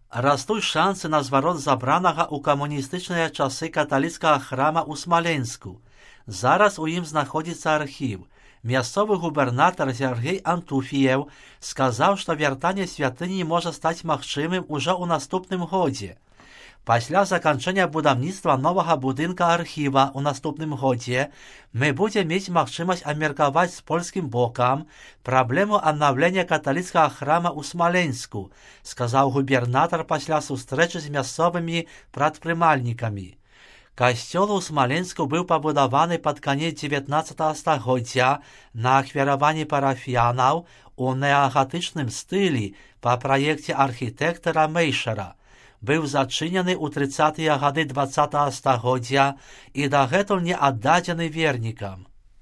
Растуць шансы на зварот забранага ў камуністычныя часы каталіцкага храма ў Смаленску. Зараз у ім знаходзіцца архіў. Мясцовы губернатар Сергей Антуфіеў сказаў, што вяртанне святыні можа стаць магчымым ужо ў наступным годзе. Пасля заканчэння будаўніцтва новага будынка архіва ў наступным годзе мы будзем мець магчымасць абмеркаваць з польскім бокам праблему аднаўлення каталіцкага храма ў Смаленску, сказаў губернатар пасля сустрэчы з мясцовымі прадпрымальнікамі. Касцёл у Смаленску быў пабудаваны пад канец 19 стагоддзя на ахвяраванні парафіянаў у неагатычным стылі па праекце архітэктара Мейшера. Быў зачынены ў 30-тыя гады 20 стагоддзя і дагэтуль не аддадзены вернікам.